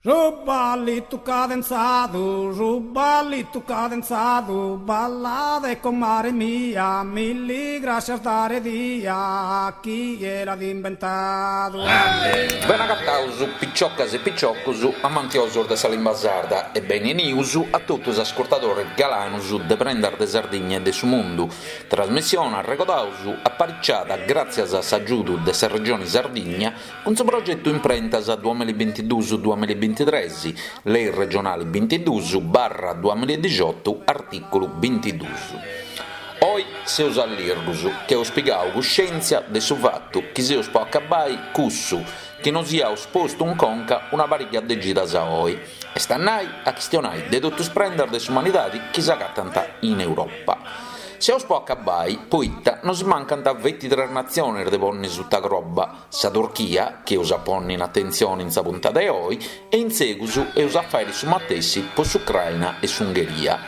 Su ballitu cadenzadu, su ballitu cadenzadu, ballade comare mia, milli grascias dare dia, chie l'at imbentadu. Bene agataus piciocas e piciocus amantiosus de sa limba sarda e beni 'enius a totu is ascurtadoris galanus de Prendas de Sardigna e de su Mundu, trasmissione, arregodaus, apariciada gràtzias a s'agiudu de sa Regioni Sardigna Cun su progetu Imprentas duamillabintiduus duamillabintitres, Lei regionali bintiduus barra duamilladixotu, artìculu bintiduus. Oi seus allirgus ca eus pigau cuscèntzia de su fatu chi seus po acabbai cussu chi nos iaus postu in conca una pariga de cidas a oi, est a nai a chistionai de totu is prendas de s'umanidadi chi s'agatant in Europa. Seus po acabbai poita nos mancant feti tres natziones de ponni suta croba, sa Turchia, chi eus a ponni in atentzioni in sa puntada 'e oi, e in segus eus a fàiri su matessi po s'Ucraina e s'Ungheria.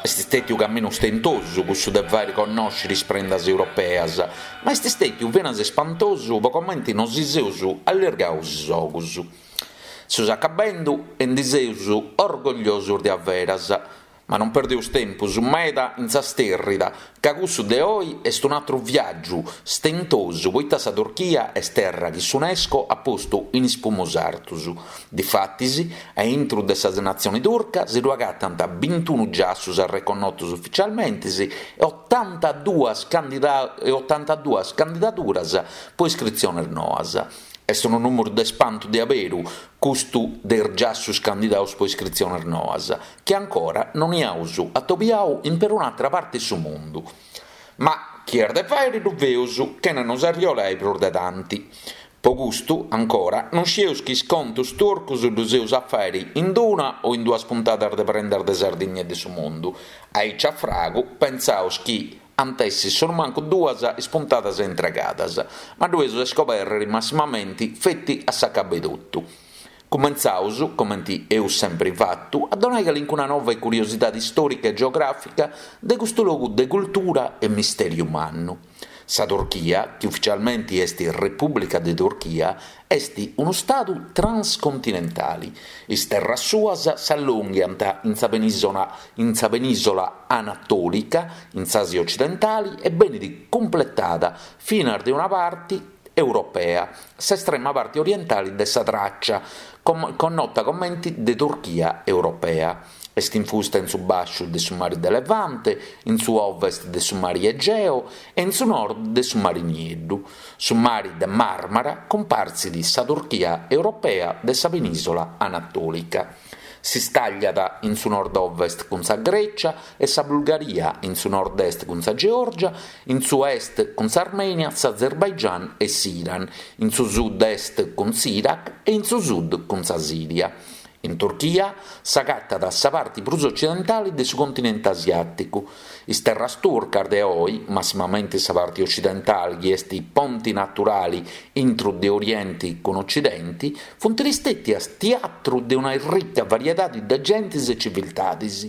Est stètiu caminu stentosu cussu de fàiri connòsciri is prendas europeas, ma est stètiu finas spantosu po comenti nosi seus allirgaus is ogus. Seus acabendu e ndi seus orgogliosus de averas. Ma non perdeus tempus meda in sa stèrrida, ca cussu de oi est un'atru viàgiu stentosu poita sa Turchia est terra chi s'Unesco at postu in is primus artus. Difatis, a intru de sa natzioni turca si ddu agatant bintunu giassus arreconnotus uficialmentis e otantaduas e otantaduas candidaduras po iscritziones noas. Est unu nùmeru de spantu de aberu, custu de is giassus candidaus po iscritziones noas, chi ancora non iaus atobiau in perun'atra parti 'e su mundu. Ma chi est de fàiri ddu feus chena nos arriolai prus de tanti. Po custu, ancora, non scieus chi is contus turcus ddus eus a fàiri in d'una o in duas puntadas de Prendas de Sardigna e de su Mundu. Aici a fragu, pentzaus chi Ant essi sonumancu duas is puntadas intregadas, ma ddu eus a iscoberrere massimamenti feti a s'acabu 'e totu. Cumentzaus, comenti eus sempri fatu, a donai calincuna nova e curiosidadi istòrica e geogràfica de custu logu de cultura e mistèriu mannu. Sa Turchia, chi uficialmenti est Repùblica de Turchia, Est unu stadu transcontinentali. Is terras suas s'allonghiant in sa in sa penìsola anatòlica, in s'Àsia ocidentali e benit cumpletada finas de una parti europea, s'estrema parti orientali de sa Tràcia, connota comenti de Turchia europea. Est infusta in su bàsciu de su mari de Levante, in su ovest de su mari Egeo e in su nord de su mari Nieddu. Su mari de Màrmara cumpartzit sa Turchia europea de sa penìsola anatòlica. S'istàgliat in su nord-ovest cun sa Grècia e sa Bulgaria, in su nord-est cun sa Geòrgia, in su est cun s'Armènia, s'Azerbaigian e s'Iran, in su sud-est cun s'Iraq e in su sud cun sa Sìria. In Turchia s'agatat sa parti prus ocidentali de su continenti asiàticu. Is terras turcas de oi, massimamenti sa parti ocidentali chi est ponti naturali intru de Orienti cun Ocidenti, funt istètias tiatru de una ricca variedadi de gentis e civiltadis.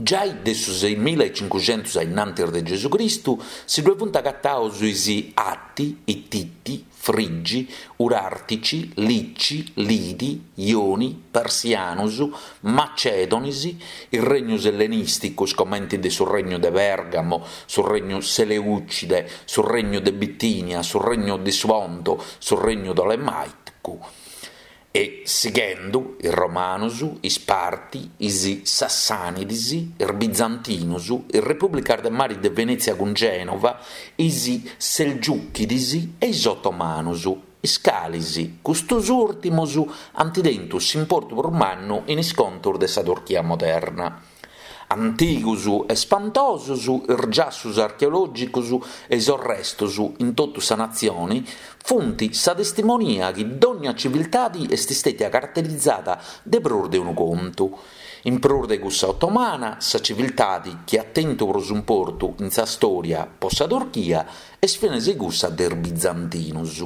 Giai de su seimilaecincuxentus a innantis de Gesù Cristu si ddue funt agataus is Atti, Ittiti, Frigi, Urartici, Lici, Lidi, Ioni, Persianus, Macedonis, is regnus ellenìsticus comenti de su Regnu de Pèrgamo, su Regnu Seleucide, su Regnu de Bitinia, su Regnu de su Ponto, su Regnu Tolemàicu. E sighendu, is Romanus, is Parti, is Sassànidis, is Bizantinus, is Repùblicas de Mari de Venètzia cun Gènova, is Selgiùchidis e is Otomanus, is calis, custus ùrtimus, ant tentu s'importu prus mannu in is contus de sa Turchia moderna. Antigus e spantosus is giassus archeològicus e is orrestus in totu sa natzioni funt sa testimonia chi dònnia civiltadi est stètia caraterizada de prus de unu contu. In prus de cussa otomana, sa civiltadi chi at tentu prus importu in sa stòria po sa Turchia est finas cussa de is bizantinus.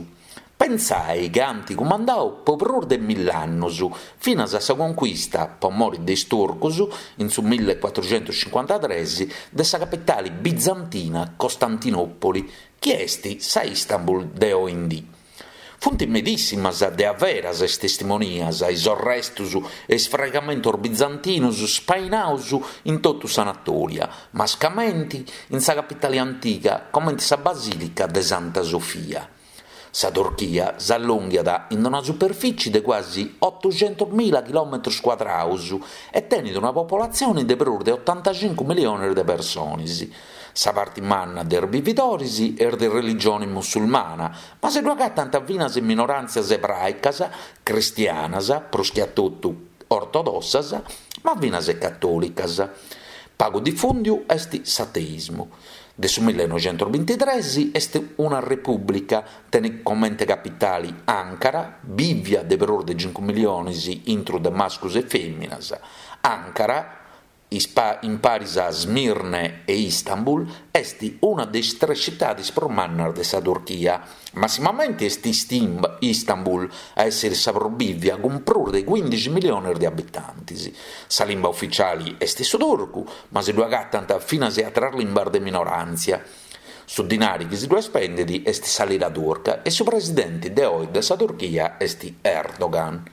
Pentzai ca ant cumandau po prus de mill'annus, finas a sa conquista, po mori de is turcus, in su millecuatruxentuscincuantatres, de sa capitali bizantina Costantinòpoli, chi est sa Istanbul de oindì. Funt medìssimas de averas is testimonias, is orrestus e is fraigamentos bizantinus spainaus in totu s'Anatolia, mascamenti in sa capitali antiga comenti sa Basìlica de Santa Sofia. Sa Turchia s'allonghiat in una superfici de cuasi otuxentusmila chilòmetrus cuadraus e tenit una popolatzioni de prus de otantacincu milionis de personis. Sa parti manna de is bividoris est de religioni musulmana, ma si ddu agatant finas minoràntzias ebràicas, cristianas, prus chi a totu ortodossas, ma finas catòlicas. Pagu difùndiu est s'ateismu. De su millenoixentosbintitres est una repùblica, tenit comente capitali Ankara, bìvia de prus de cincu milionis intru de mascus e fèminas. Ankara in paris a Smirne e Istanbul, est una de is tres citadis prus mannas de sa Turchia. Massimamenti est Istanbul a èssiri sa prus bìvia cun prus de cuindixi milionis de abitantis. Sa limba uficiali est su turcu, ma si ddu agatant finas àteras limbas de minoràntzia. Su dinari chi si ddu spendit est sa lira turca e su presidenti de oi de sa Turchia est Erdogan.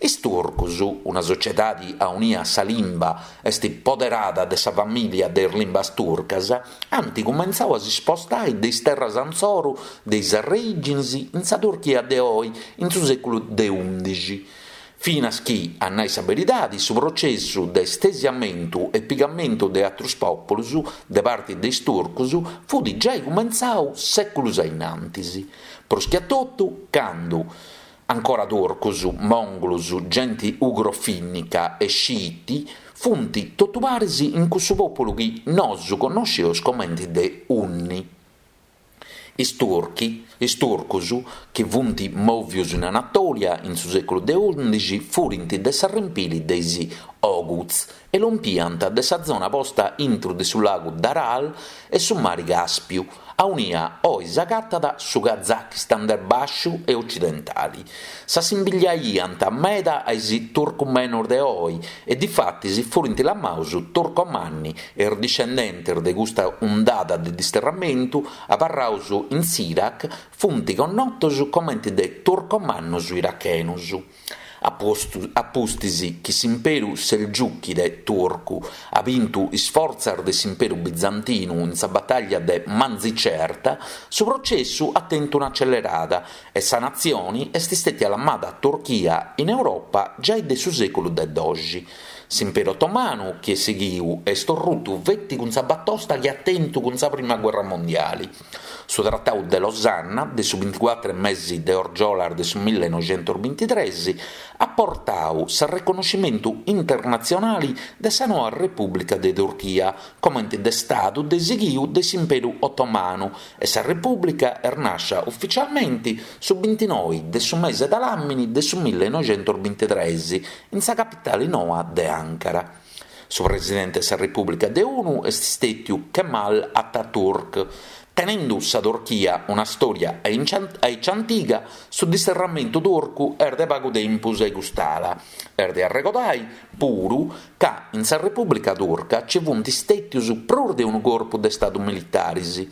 Is turcus, una sociedadi aunia sa limba est poderada de sa famìlia de is limbas turcas, ant cumentzau a si spostai de is terras antzoru de is arreìginis in sa Turchia de oi in su sèculu de undixi. Finas chi, a nai sa beridadi, su processu de stesiamentu e pigamentu de atrus pòpulus de parti de is turcus fut giai cumentzau sèculus a innantis. Prus chi a totu candu Ancora turcus, mongolus, genti ugrofinnica e sciiti funt totu paris in cussu populu chi nosu connosceus comenti de Unni. Is turchi, is turcus, chi funt movius in Anatolia in su seculu de undixi furint de s'arrempili de is Oghuz e lompiant de sa zona posta intru de su lagu d'Aral e su mari Caspiu, aunia oi s'agatat su Kazakistan de bàsciu e ocidentali. S'assimbigliaiant meda a is turcumenos de oi e difatis furint lamaus turcomanni e is discendentes de custa undada de disterramentu abarraus in s'Iraq funt connotos comente de turcomannos irachenos. A pustis chi s'imperu selgiùchide turcu at bintu is fortzas de s'imperu bizantinu in sa batalla de Manzicerta, su processu at tentu un'acelerada e sa natzioni est stètia lamada Turchia in Europa giai de su sèculu de doxi. S'imperu otomanu chi est sighiu est orrutu feti cun sa batosta chi at tentu cun sa prima guerra mondiali. Su Tratau de Losanna, de su binticuatru mesi de orgiolas de su millenoixentosbintitres, at portau s'arreconnoscimentu internatzionali de sa noa Repùblica de Turchia comenti de stadu de sighiu de s'Imperu Otomanu e sa Repùblica est nàscia uficialmenti su bintinoi de su mese de làmini de su millenoixentosbintitres in sa capitali noa de Ankara. Su presidente de sa Repùblica de unu est stètiu Kemal Atatürk. Tenendu sa Turchia una stòria aici antiga, su disterramentu turcu est de pagu tempus a cust'ala. Est de arregodai, puru, ca in sa Repùblica Turca ci funt stètius prus de unu corpu de stadu militaris.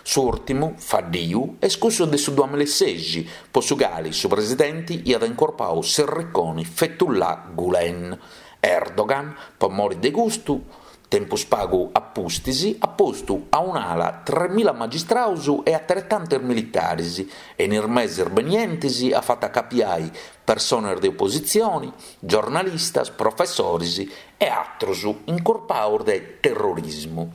S'ùrtimu, faddiu, est cussu de su duamilasexi, po su cali su presidenti iat incorpau s'erriconi Fethullah Gülen. Erdogan, po mori de custu, tempus pagu a pustis, at postu a un'ala tremila magistraus e ateretantes militaris e in is meses benientes at fatu acapiai persones de opositzioni, giornalistas, professoris e atrus incurpaus de terrorismu.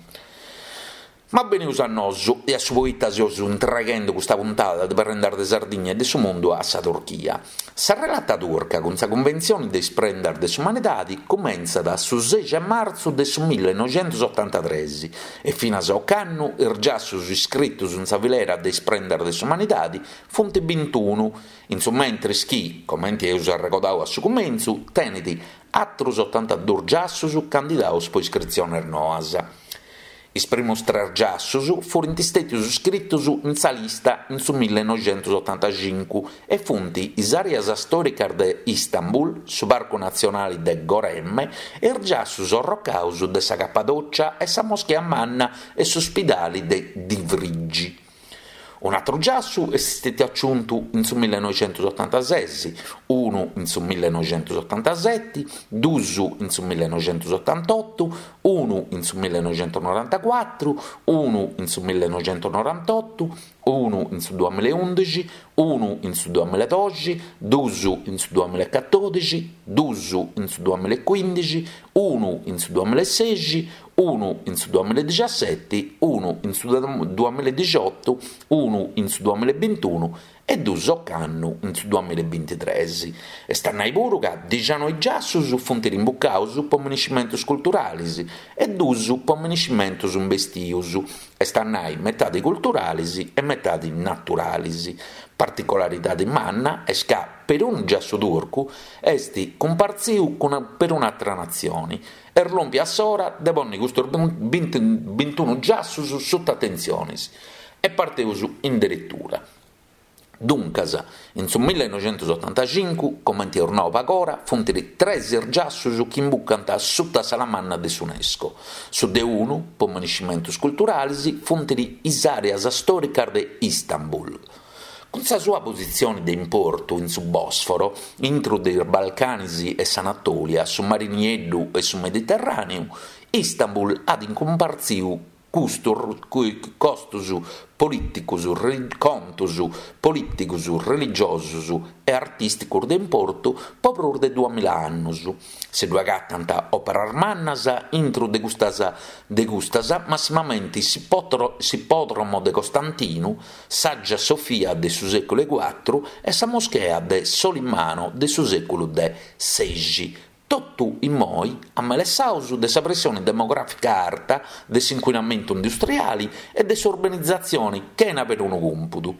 Ma benius a nosu e a su poita seus intreghendu custa puntada de Prendas de Sardigna e de su Mundu a sa Turchia. Sa relata turca cun sa Cunventzioni de is Prendas de s'Umanidadi cumentzat su sexi 'e martzu de su millenoixentosotantatres e finas a ocannu is giassus iscritus in sa filera de is Prendas de s'Umanidadi funt bintunu, in su mentris chi, comenti eus arregodau a su cumentzu, tenit atrus otantadus giassus candidaus po iscritziones noas. Is primus tres giassus furint stètius scritus in sa lista in su millenoixentosotantacincu e funt is àreas stòricas de Istanbul, su Parcu Natzionali de Goreme e is giassus orrocaus de sa Capadòcia e sa Moschea Manna e su Spidali de Divrigi. Un'atru giassu est stetiu aciuntu in su millenoixentusotantases, unu in su millenoixentusotantaseti, dus in su millenoixentusotantotu, unu in su millenoixentunorantacuatru, unu in su millenoixentunorantotu, unu in su duamilaeundixi, unu in su duamilaedoxi, dus in su duamilaecatodixi, dus in su duamilaecuindixi, unu in su duamilaesexi, unu in su duamilaedixaseti, unu in su duamilaedixotu, unu in su duamilaebintunu e dus ocannu in su duamilaebintitres. Est a nai puru ca dixanoi giassus funt rimbucaus po miniscimentus culturalis e dus po miniscimentus imbestius, est a nai metadi culturalis e metadi naturalis. Particolaridadi manna est ca perunu giassu turcu est cumpartziu cun perun'atra natzioni. Est lòmpia s'ora de ponni custus bintunu giassus suta atentzionis e parteus in deretura. Duncas, in su millenoixentusotantacincu, comenti eus nau pagora, funt tres is giassus chi imbucant suta s'ala manna de s'Unesco. Su de unu, po miniscimentus culturalis, funt is àreas stòricas de Istanbul. Cun sa sua positzioni de importu in su Bòsforo, intru de is Balcanis e s'Anatòlia, su Mari Nieddu e su Mediterràneu, Istanbul at cumpartziu custos costos polìticos, contos polìticos, religiosos e artìsticos de importu po prus de duamilla annos. Si ddu agatant òperas mannas intro de custas de custas massimamenti s'Ipòdromo de Costantinu, s'Agia Sofia de su sèculu 'e cuatru e sa Moschea de Solimano de su sèculu de sexi, totu immoi amelessaus de sa pressioni demogràfica arta, de s'incuinamentu industriali e de s'urbanizatzioni chena perunu cumpudu.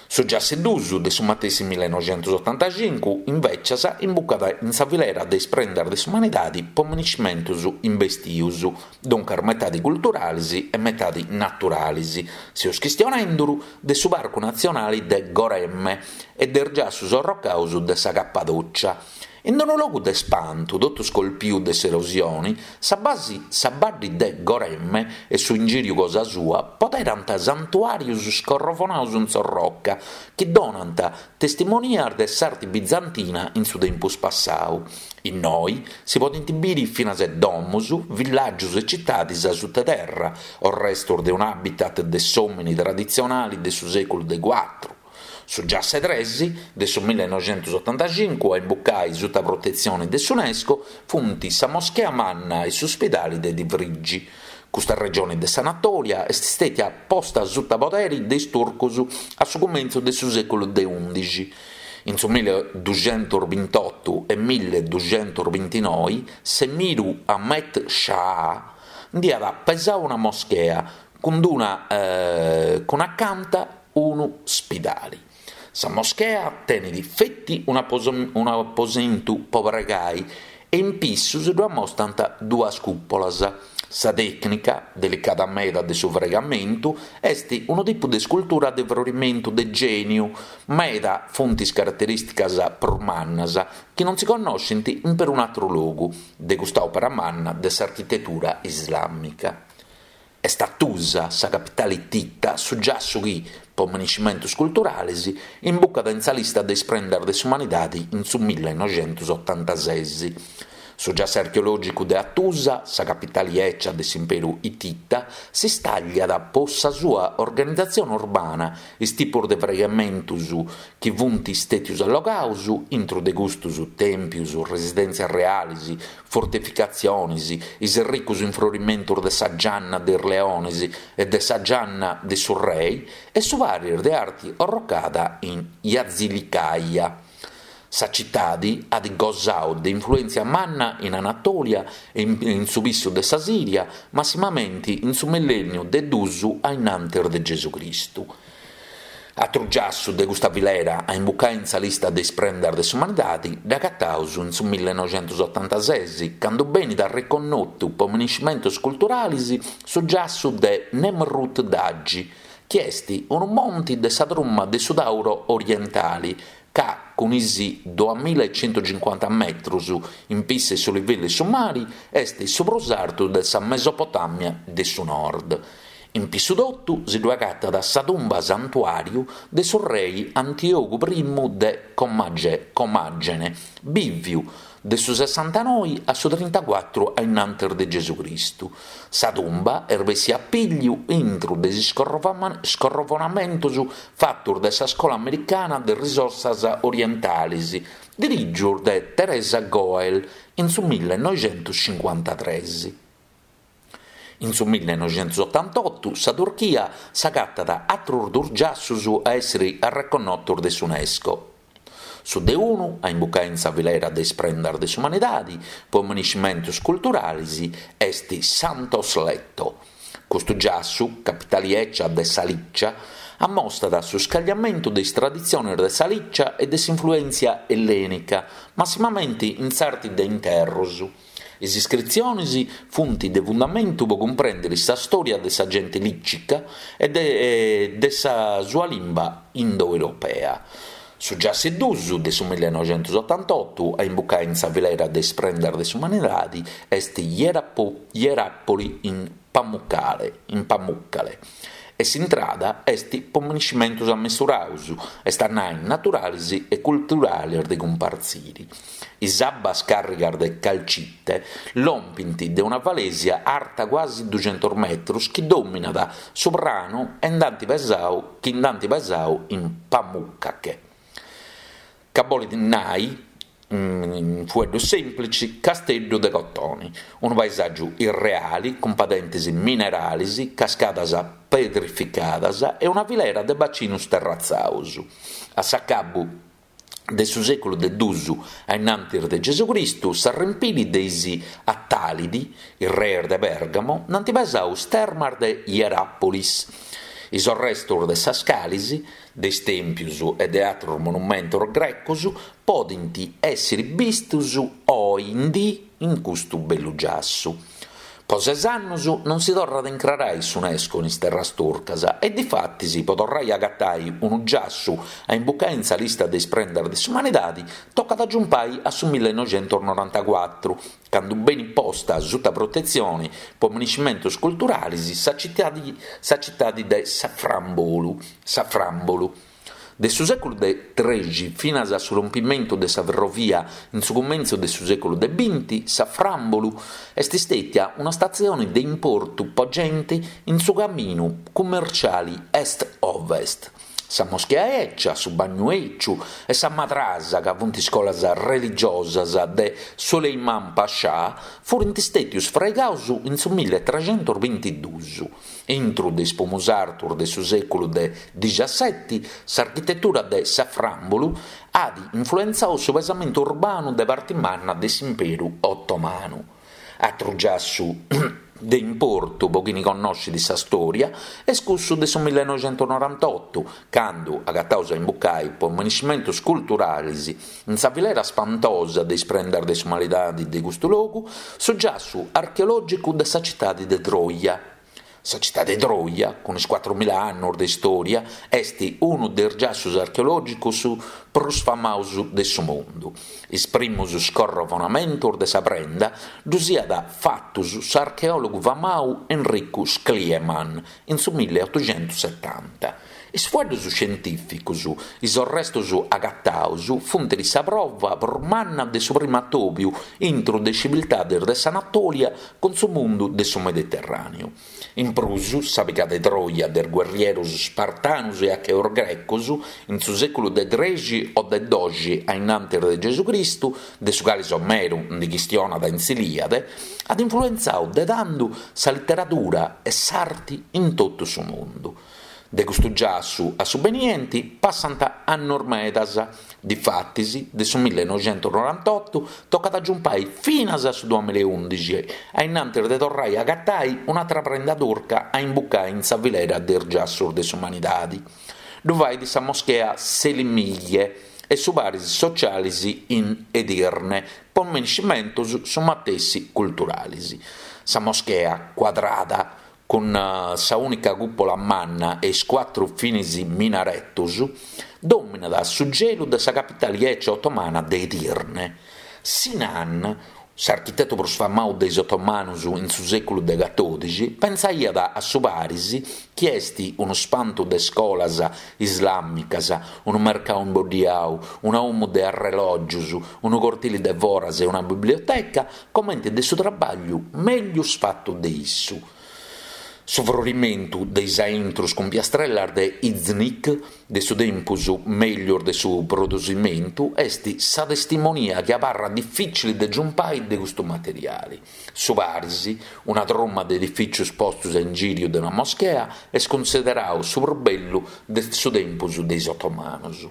Su giassu 'e dus de su matessi millenoixentusotantacincu, invècias, imbucat in sa filera de is prendas de s'umanidadi po miniscimentus imbestius, duncas metadi culturalis e metadi naturalis. Seus chistionenduru de su Parcu Natzionali de Goreme e de is giassus orrocaus de sa Cappadocia. In unu logu de spantu, totu scolpiu de s'erosioni, sa basi sa baddi de Goreme e su ingìriu cosa sua poderant santuàrius scorrovonaus in s'orroca, chi donant testimonias de s'arti bizantina in su tempus passau. Innoi si podint biri finas e domus, villàgius e citadis a suta terra, orrestus de un'habitat de s'òmini traditzionali de su sèculu de cuatru. Su giassu 'e tres de su millenoixentusotantacincu a imbucai suta protetzioni de s'Unesco funt sa Moschea Manna e su Spidali de Divrigi. Custa regioni de s'Anatolia est stètia posta suta poderi de is turcus a su cumentzu de su sèculu de undixi. In su milleduxentusbintotu e milleduxentusbintinoi s'emiru Ahmet Shah nd'iat pesau una moschea cun d'una cun acanta unu spidali. Sa moschea tenit feti un'aposentu po pregai e in pissu si ddu amostant duas cùpolas. Sa tècnica, delicada meda de su fraigamentu, est unu tipu de iscultura de frorimentu de gèniu, meda funt is caraterìsticas prus mannas, chi non si connoscint in perun'atru logu, de custa òpera manna de s'architetura islàmica. Est Hattusa, sa capitale ittita, su giassu chi, po miniscimentus culturales, imbucat in sa lista de is prendas de s'umanidade in su millenoixentusotantases. Su giassu archeològicu de Hattusa, sa capitale 'eccia de s'imperu ittita, s'istàgliat po sa sua organizatzione urbana, is tipos de fraigamentos chi funt istètios allogados, intro de custos tèmpios, residèntzias reales, fortificatziones, is ricos infrorimentos de sa gianna de is leones e de sa gianna de su rei e su paris de arti orrocada in Yazilikaya. Sa citadi at gosadu de influèntzia manna in Anatolia e in su pissu de sa Siria, massimamenti in su millènniu de dus a innantis de Gesù Cristu. Atru giassu de custa filera a imbucai in sa lista de is prendas de s'umanidadi dd'agataus in su millenoixentusotantases, candu benit arreconnotu po miniscimentus culturalis su giassu de Nemrut Dagi, chi est unu monti de sa truma de su Tauro orientali, ca cun is duamilaecentucincuanta metrus in pissu 'e su livellu 'e su mari est su prus artu de sa Mesopotamia de su nord. In pissu totu si ddu agatat sa tumba santuàriu de su rei Antiogu primu de Comagene, bìviu de su sessantanoi a su trintacuatru a innantis de Gesù Cristu. Sa tumba est bessia a pìgliu intru de is scorrovonamentus fatus de sa Scola Americana de Risorsas Orientalis, dirìgius de Teresa Goell in su millenoixentuscincuantatres. In su millenoixentusotantotu sa Turchia s'agatat atrus dus giassus a èssiri arreconnotus de s'Unesco. Su de unu, a imbucai in sa filera de is prendas de s'umanidadi po miniscimentus culturalis, est Santos Letto. Custu giassu, capitali 'ecia de sa Licia, ammostat su scagliamentu de is traditzionis de sa Licia e de s'influèntzia ellenica, massimamenti in s'arti de interrus. Is iscritzionis funt de fundamentu po cumprèndiri sa stòria de sa genti lìcica e de sa sua limba indoeuropea. Su giassu 'e dus de su millenoixentusotantotu a imbucai in sa filera de is prendas de s'umanidadi est Ieràpoli in Pamukkale. E s'intrada est po miniscimentus ammesturaus, est a nai naturalis e culturalis de cumpartziri. Is abbas càrrigas de calcite lompint de una falesia arta cuasi duxentus metrus chi dòminat su pranu e nd'ant pesau chi nd'ant pesau in Pamukkale, ca bolit nai, in fueddus sèmplicis, casteddu de cotoni, unu paesàgiu irreali cun padentis mineralis, cascadas pedrificadas e una filera de bacinus terratzaus. A s'acabu de su sèculu de dus a innantis de Gesù Cristu, s'arrempili de is Attalidi, is reis de Pergamo, nd'ant pesau is termas de Hierapolis. Is orrestus de sas calis, de is tèmpius e de atrus monumentus grecos podint èssiri bistus oi in dì in custu bellu giassu. Po ses annus non si torrat a incrarai s'Unesco in is terras turcas e difatis po torrai a agatai unu giassu a imbucai in sa lista de is prendas de s'umanidadi tocat a giumpai a su millenoixentusnorantacuatru, candu benit posta suta protetzioni po miniscimentus culturalis sa citadi sa citadi de Safranbolu. Safranbolu. De su sèculu de trexi finas a su rompimentu de sa ferrovia in su cumentzu de su sèculu de binti, Safranbolu est stètia una statzioni de importu po genti in su caminu cummerciali est-ovest. Sa moschea 'ecia, su bagnu 'eciu e sa madrasa, ca funt iscolas religiosas de Suleiman Pascià, furint stètius fraigaus in su milletrecentusbintidus. Intru de is pumus artus de su sèculu de dixaseti, s'architetura de Safranbolu at influentzau su pesamentu urbanu de parti manna de s'Imperu Otomanu. Atru giassu de importu po chini connoscit sa stòria est cussu de su millenoixentusnorantotu, candu agataus a imbucai po miniscimentus culturalis in sa filera spantosa de is prendas de s'umanidadi de custu logu, su giassu archeològicu de sa citadi de Troja. Sa citadi de Troja, cun is cuatrumila annus de istòria, est unu de is giassus archeològicus prus famaus de su mundu. Is primus scorrovonamentus de sa prenda ddus iat fatus s'archeòlogu famau Enricu Schliemann in su milleotuxentussetanta. Is fueddus scientìficus, is orrestus agataus funt sa prova prus manna de su primu atòbiu intru de is civiltades de s'Anatòlia cun su mundu de su Mediterràneu. In prus, sa piga de Troja de is guerrierus spartanus e acheus grecos in su sèculu de trexi o de doxi a innantis de Gesù Cristu, de su cali Omeru ndi chistionat in s'Ilìade, at influentzau de tandu sa literadura e s'arti in totu su mundu. De custu giassu a su benienti passant annus medas, difatis de su millenoixentusnorantotu tocat a giumpai finas a su duamilaeundixi a innantis de torrai a agatai un'atra prenda turca a imbucai in sa filera de is giassus de s'umanidadi. Ddu fait sa moschea Selimiye e su paris socialis in Edirne po miniscimentus su matessi culturalis. Sa moschea cuadrada cun sa ùnica cùpola manna e is cuatru finis minaretus, dòminat su gelu de sa capitali 'ecia otomana de Edirne. Sinan. S'architetu prus famau de is otomanus in su sèculu de catòdixi pentzaiat a su paris chi est unu spantu de scolas islàmicas, unu mercau imboddiau, una 'omu de arrelògius, unu cortili de foras e una biblioteca comenti de su trabagliu meglius fatu de issu. Su frorimentu de is aintrus cun piastrellas de Iznik, de su tempus meglius de su produsimentu, est sa testimonia chi abarrat dificili de giumpai de custu materiali. Su paris, una truma de edificius postus a ingiriu de una moschea, est cunsiderau su prus bellu de su tempus de is otomanus.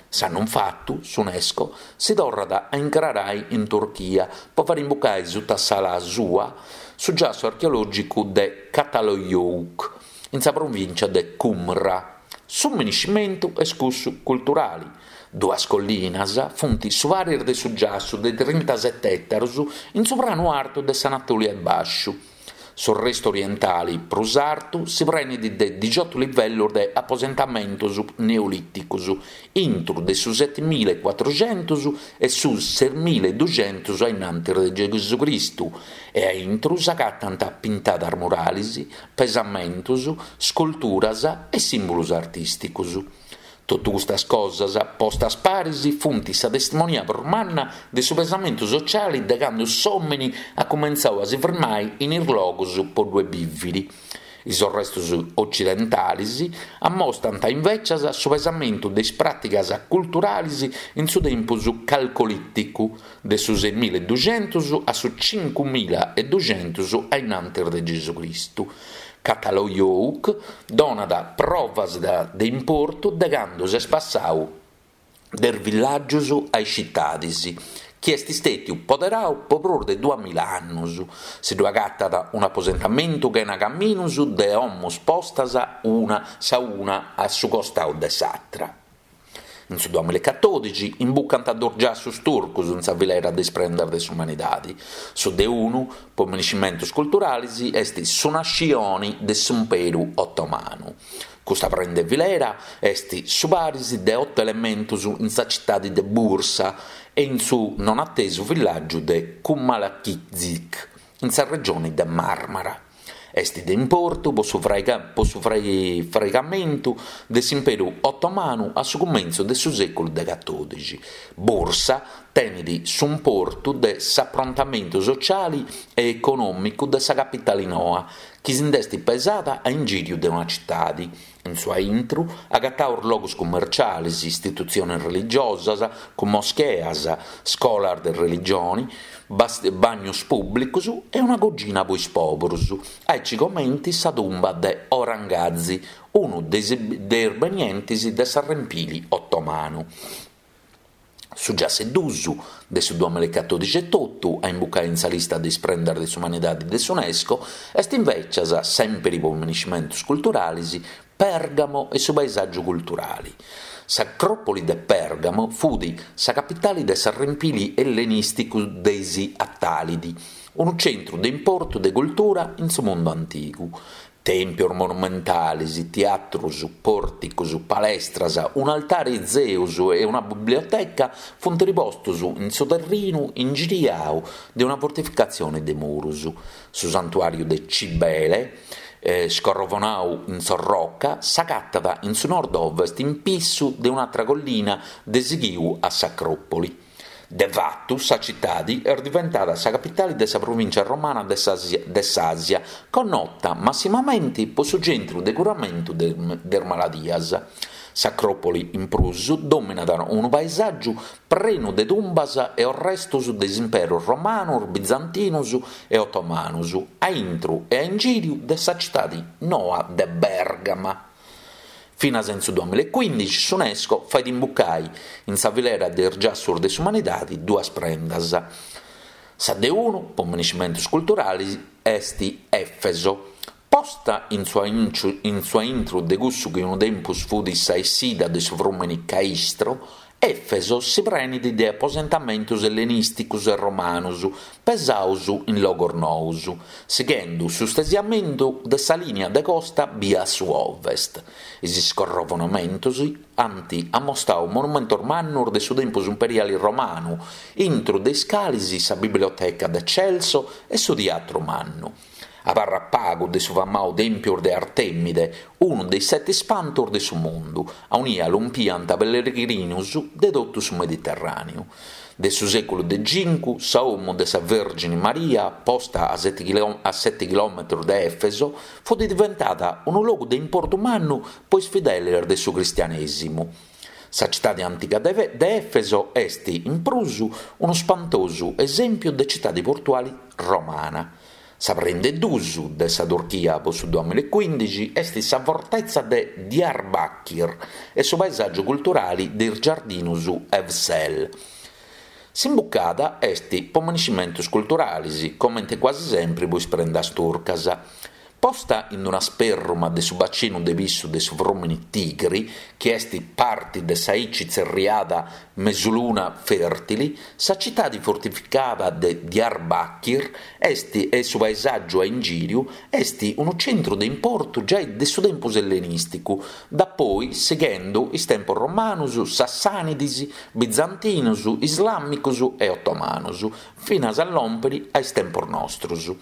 S'annu infatu, s'Unesco si torrat a incrarai in Turchia po fari imbucai suta s'ala sua su giassu archeològicu de Çatalhöyük, in sa provìncia de Cumra. Su miniscimentu est cussu culturali. Duas collinas funt su paris de su giassu de trintasete ètarus in su pranu artu de s'Anatolia 'e Bàsciu. Su restu orientali prus artu si prenit de dixiotu livellus de aposentamentus neolìticus, intru de su setimilaecuatruxentus e su sesmilaeduxentus a innantis de Gesucristu, e a intru s'agatant pintadas muralis, pesamentus, sculturas e sìmbulus artìsticus. Totu custas cosas, postas paris, funt sa testimonia prus manna de su pesamentu sociali de candu s'òmini at cumentzau a si firmai in is logus po ddue bìviri. Is orrestus ocidentalis ammostant invècias su pesamentu de is pràtigas culturalis in su tempus calcolìticu, de su semilaeduxentus a su cincumilaeduxentus a innantis de Gesucristu. Çatalhöyük donat provas de importu de candu s'est passau de is villàgius a is citadis, chi est stètiu poderau po prus de duamilla annus. Si ddu agatat un'aposentamentu chena caminus de 'omus postas una sa una a su costau de s'atra. In su duamilaecatòdixi imbucant duos giassus turcus in sa filera de is prendas de s'umanidadi. Su de unu, po miniscimentus culturalis, est su nascioni de s'Imperu Otomanu. Custa prenda 'e filera est su paris de oto elementus in sa citadi de Bursa e in su non atesu villàgiu de Cumalakicik, in sa regioni de Marmara. Est de importu po su po su fraigamentu de s'Imperu Otomanu a su cumentzu de su sèculu de catòdixi. Bursa tenet s'importu de s'aprontamentu sociali e econòmicu de sa capitali noa, chi si nd'est pesada a ingìriu de una citadi. In su aintru agataus logus cummercialis, istitutziones religiosas cun moscheas, scolas de religioni, bagnus pùblicus e una cogina po is pòburus, aici comenti sa tumba de Orhan Gazi, unu de is benientis de s'arrempili otomanu. Su giassu 'e duus de su duamilaecatòdixi etotu a imbucai in sa lista de is prendas de s'umanidadi de s'Unesco est invècias, sèmpiri po miniscimentus culturalis, Pèrgamo e su paesàgiu culturali. S'Acròpoli de Pèrgamo fut sa capitali de s'arrempili ellenìsticu de is Atàlidi, unu centru de importu de cultura in su mundu antigu. Tèmpios monumentales, teatrus, pòrticos, palestras, un'altare 'e Zeus e una biblioteca funt ripostos in su terrinu ingiriau de una fortificatzione de murus. Su santuàriu de Cibele, scorrovonau in s'orroca, s'agatat in su nord-ovest in pissu de un'atra collina de sighiu a s'Acròpoli. De fatu, sa citadi est diventada sa capitali de sa provìncia romana de s'Àsia, connota massimamenti po su centru de curamentu de is maladias. S'Acròpoli, in prus, dòminat unu paesàgiu prenu de tumbas e orrestos de is imperus romanus, bizantinus e otomanus, a intru e a ingìriu de sa citadi noa de Bèrgama. Finas in su duamilaecuindixi s'Unesco fait imbucai in sa filera de is giassus de s'umanidadi duas prendas. Sa de unu, po miniscimentus culturalis, est Efeso. Posta in su in su aintru de cussu chi unu tempus fut sa essida de su frùmini Caistro. Efeso si prenit de aposentamentus ellenìsticus e romanus pesaus in logos nous, sighendu su stesiamentu de sa lìnia de costa bia a su ovest. Is iscorrovonamentus ant ammostau monumentos mannus de su tempus imperiali romanu, intru de is calis sa biblioteca de Celso e su tiatru mannu. Abarrat pagu de su famau Tèmpiu de Artemide, unu de is seti ispantus de su mundu, aunia lompiant pellegrinus de totu su Mediterràneu. De su sèculu de cincu, sa 'omu de sa Vèrgini Maria, posta a seti chilòmetrus de Èfeso, fut diventada unu logu de importu mannu po is fideles de su cristianèsimu. Sa citadi antiga de Èfeso est, in prus, unu spantosu esèmpiu de citadi portuali romana. Sa prenda 'e dus de sa Turchia po su duamillaecuindixi est sa fortetza de Diyarbakir e su paesàgiu culturali de is giardinus Evsel. S'imbucada est po maniscimentus culturalis, comente quasi sempri po is prendas turcas. Posta in una sperruma de su bacinu de pissu de su frùmini Tigri, chi est parti de sa aici tzerriada Mesuluna Fèrtili, sa citadi fortificada de Diyarbakir est e su paesàgiu a ingìriu est unu centru de importu giai de su tempus ellenìsticu, dapoi sighendu is tempos romanus, sassànidis, bizantinus, islàmicus e otomanus, finas a lòmpiri a is tempos nostrus.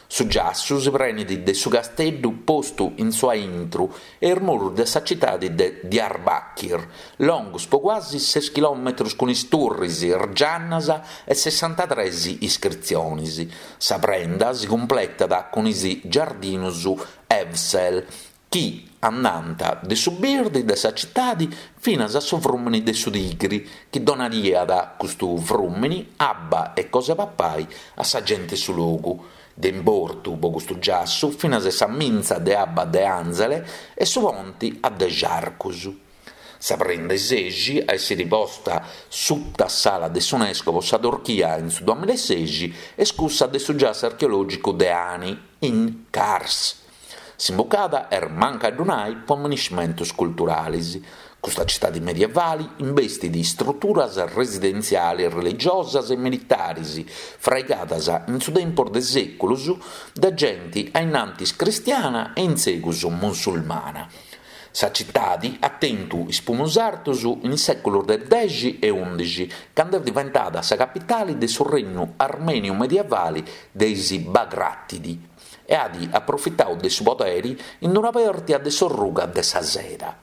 Su giassu si prenit de su casteddu postu in su aintru e is murus de sa citadi de Diyarbakir, longus po cuasi ses chilòmetrus cun is turris, is giannas e sessantatres iscritzionis. Sa prenda si cumpletat cun is giardinus Evsel, chi andant de su birdi de sa citadi finas a su frùmini de su Tigri, chi donaiat custu frùmini abba e cosa 'e papai a sa gente 'e su logu. De importu po custu giassu finas sa mintza de abba de Anzele e su ponti a dexi arcus. Sa prenda 'e sexi a essiri posta suta s'ala de s'Unesco po sa Turchia in su duamillaesexi est cussa de su giassu archeològicu de Ani, in Kars. S'imbucada est mancu a ddu nai po maniscimentus culturalis. Custa citadi medievali imbestit istruturas residentzialis religiosas e militaris fraigadas in su tempus de sèculus de genti a innantis cristiana e in segus musulmana. Sa citadi at tentu is pumus artus in is sèculus de dexi e undixi, candu est diventada sa capitali de su regnu armèniu medievali de is Bagratidi. e at aprofitau de su poderi in una pèrtia de s'orruga de sa seda.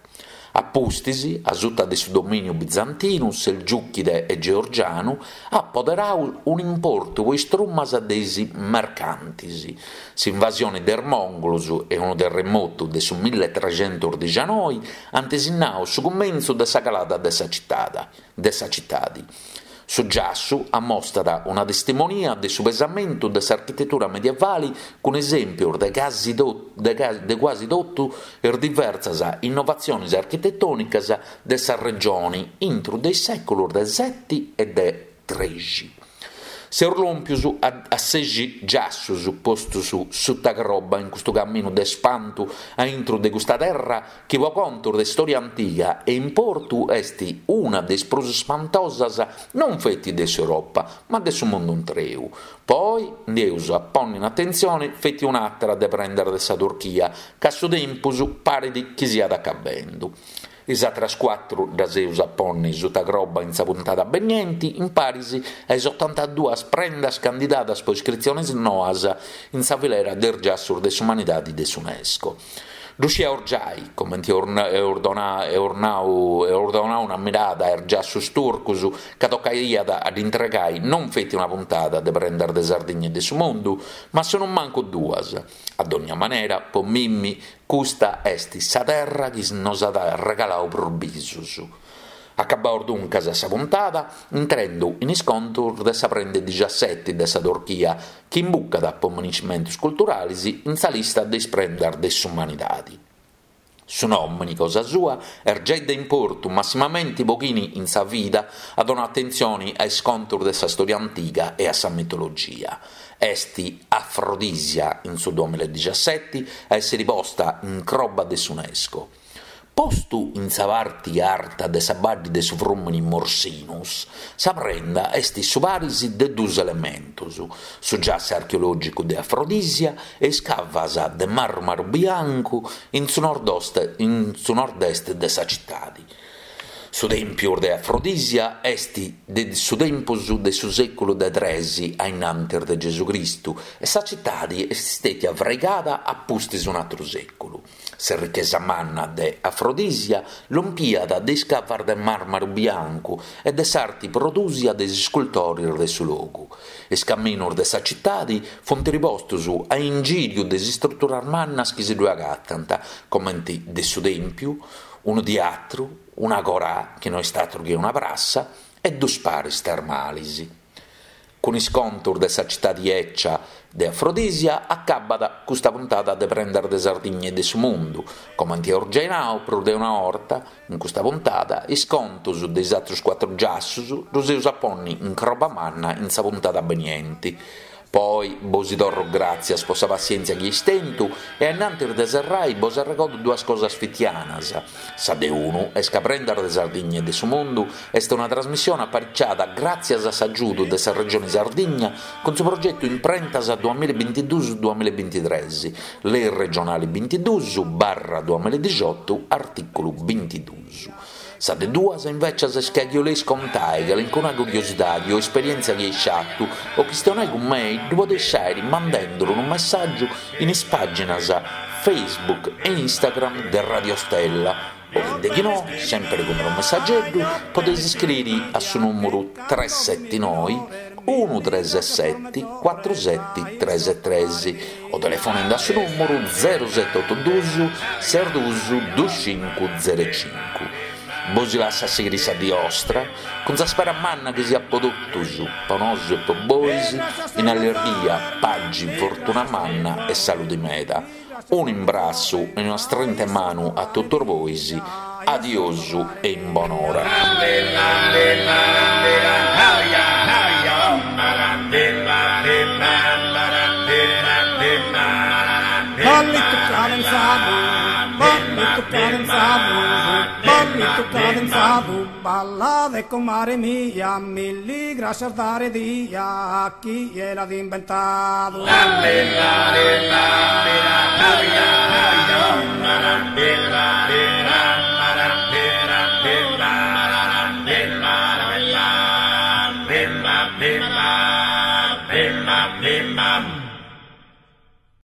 A pustis, a suta de su domìniu bizantinu, selgiùchide e georgianu, at poderau un'importu po is trumas de is mercantis. S'invasioni de is mòngolos e unu terremotu de su milletrescentusdixanoi ant sinnau su cumentzu de sa calada de sa citadi. Su giassu ammostat una testimonia de su pesamentu de s'architetura medievali cun esèmpios de casi de cuasi totu is diversas innovatziones architetònicas de sa regione intro de is sèculos de seti e de trexi. Seus lòmpius a sexi giassus postus suta croba in custu caminu de spantu a intru de custa terra chi po contus de storia antiga e importu est una de is prus spantosas non feti de s'Europa ma de su mundu intreu. Po oi nd'eus a ponni in atentzioni feti un'àtera de prendas de sa Turchia ca su tempus parit chi siat acabendu. Is àteras cuatru ddas eus a ponni suta croba in sa puntada benienti in paris a is otantaduas prendas candidadas po iscritzionis noas in sa filera de is giassus de s'umanidadi de s'Unesco. Ddu scieus giai, comenti eus donau una mirada a is giassus turcus, ca tocaiat a dd'intregai non feti una puntada de prendas de Sardigna e de su mundu, ma sonumancu duas. A dònnia manera, po mimmi, custa est sa terra chi nos at regalau prus bisus. Acabaus duncas sa puntada intrendu in is contus de sa prenda 'e dixaseti de sa Turchia, chi imbucat po maniscimentus culturalis in sa lista de is prendas de s'umanidadi. Su nòmini cosa sua est giai de importu massimamenti po chini in sa vida at donau atentzioni a is contus de sa stòria antiga e a sa mitologia. Est Afrodisia in su duamillaedixaseti a èssiri posta in croba de s'Unesco. Postu in sa parti arta de sa baddi de su frùmini Morsinus, sa prenda est su paris de duus elementus, su giassu archeològicu de Afrodisia e is cavas de màrmaru biancu in su nord-est de sa citadi. Su tèmpiu de Afrodisia est de su tempus de su sèculu de tres a innantis de Gesù Cristu e sa citadi est stètia fraigada a pustis un'àteru sèculu. S'errichesa manna de Afrodisia lompiat de is cavas de màrmaru biancu e de s'arti prodùsia de is iscultores de su logu. Is caminus de sa citadi funt ripostus a ingìriu de is istruturas mannas chi si ddue agatant, comenti de su tèmpiu, unu tiatru, un'agorà, chi no est àteru chi una prassa, e dus paris termalis. Cun is contus de sa citadi 'ecia de Afrodisia acabbat custa puntada de Prendas de Sardigna e de su Mundu. Comenti eus giai nau prus de una 'orta, in custa puntada is contus de is atrus cuatru giassus ddus eus a ponni in croba manna in sa puntada benienti. Po oi bosi torru gràtzias po sa passièntzia chi eis tentu e ainnantis de serrai bos arregodu duas cosas fitianas. Sa de unu est ca Prendas de Sardigna e de su Mundu est una trasmissione apariciada gràtzias a s'agiudu de sa Regioni Sardigna cun su progetu Imprentas duamillabintiduus duamillabintitres, Lei regionali bintiduus barra duamilladixotu artìculu bintiduus. Sa de duas invècias est ca chi 'oleis contai calincuna curiosidadi o esperièntzia chi eis fatu o chistionai cun mei ddu podeis fàiri mandenduru unu messàgiu in is pàginas Facebook e Instagram de Radio Stella o de chi no, sèmpiri cun unu messageddu, podeis iscriri a su nùmuru tres seti noi unu tres seti cuatru seti tres tres o telefonendi a su nùmuru zeru seti otu dus ses dus dus cincu zeru cincu. Bosi lassu a sighiri sa dì 'ostra, cun sa spera manna chi siat po totus, po nosu e po bois, in allirghia, pagi, fortuna manna e saludi meda. Unu imbrassu e una strinta 'e manu a totus bois, adiosu e in bonora. Ballitu cadenzadu, ballitu cadenzadu, ballitu cadenzadu, ballade comare mia, milli grascias dare dia, chie l'at imbentadu.